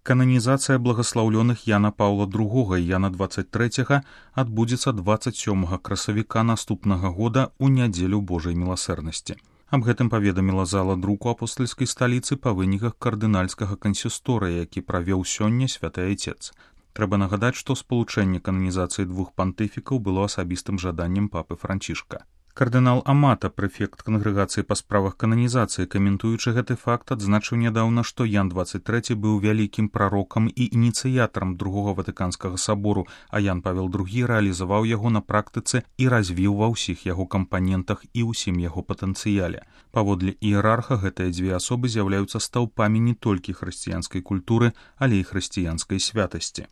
Кананізацыя благаслаўлёных Яна Паўла II і Яна 23 адбудзецца 27 красавіка наступнага года ў нядзелю Божай міласэрнасці. Аб гэтым паведаміла зала друку апостальскай сталіцы па выніках кардынальскага кансісторыя, які правёў сёння святы айцец. Трэба нагадаць, што спалучэнне кананізацыі двух пантыфікаў было асабістым жаданнем папы Франчішка. Кардынал Амата, прэфект кангрэгацыі па справах кананізацыі, каментуючы гэты факт, адзначыў нядаўна, што Ян 23 быў вялікім прарокам і ініцыятарам другога Ватыканскага сабору, а Ян Павел II рэалізаваў яго на практыцы і развіў ва ўсіх яго кампанентах і ўсім яго патэнцыяле. Паводле іерарха, гэтыя дзве асобы з'яўляюцца стаўпамі не толькі хрысціянскай культуры, але і хрысціянскай святасці.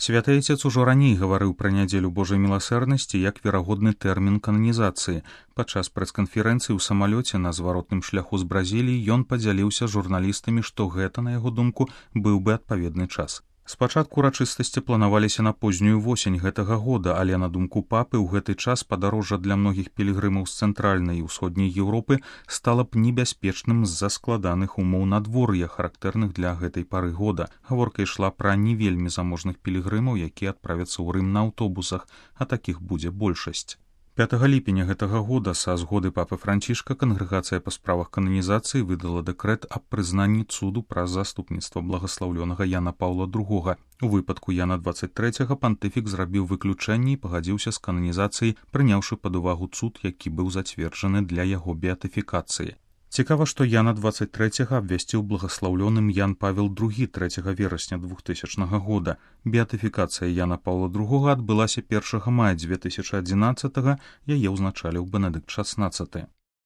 Святы айцец ужо раней гаварыў пра нядзелю Божай міласэрнасці як верагодны тэрмін кананізацыі. Падчас прэс-канферэнцыі ў самалёце на зваротным шляху з Бразіліі ён падзяліўся з журналістамі, што гэта, на яго думку, быў бы адпаведны час. Спачатку урачыстасці планаваліся на познюю восень гэтага года, але на думку папы ў гэты час падарожжа для многіх пілігрымаў з цэнтральнай і ўсходняй Еўропы стала б небяспечным з-за складаных умоў надвор'я, характэрных для гэтай пары года. Гаворка ішла пра не вельмі заможных пілігрымаў, якія адправяцца ў Рым на аўтобусах, а такіх будзе большасць. 5 ліпеня гэтага года са згоды папы Франчішка кангрэгацыя па справах кананізацыі выдала дэкрэт аб прызнанні цуду праз заступніцтва благаслаўлёнага Яна Паўла II. У выпадку Яна 23 пантыфік зрабіў выключэнне і пагадзіўся з кананізацыяй, прыняўшы пад увагу цуд, які быў зацверджаны для яго беатыфікацыі. Цікава, што Яна 23 абвясціў благаслаўлёным Ян Павел II 3 верасня 2000 года. Беатыфікацыя Яна Паўла II адбылася 1 мая 2011, яе ўзначаліў Бенедыкт XVI.